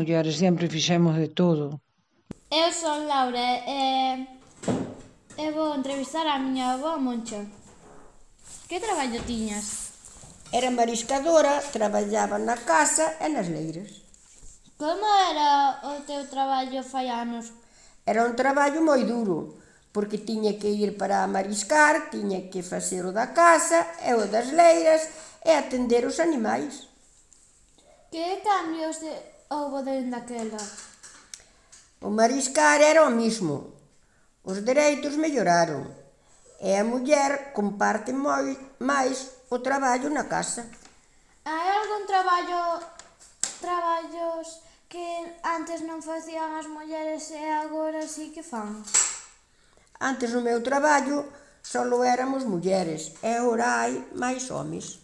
mulleres sempre fixemos de todo. Eu son Laura e vou entrevistar a miña avó Moncha. Que traballo tiñas? Era mariscadora, traballaba na casa e nas leiras. Como era o teu traballo fai anos? Era un traballo moi duro, porque tiña que ir para mariscar, tiña que facer o da casa e o das leiras e atender os animais. Que cambios houbo dende aquela? O mariscar era o mismo, os dereitos melloraron e a muller comparte máis o traballo na casa. Hai algún traballos que antes non facían as mulleres e agora sí que fan? Antes no meu traballo só éramos mulleres e agora hai máis homes.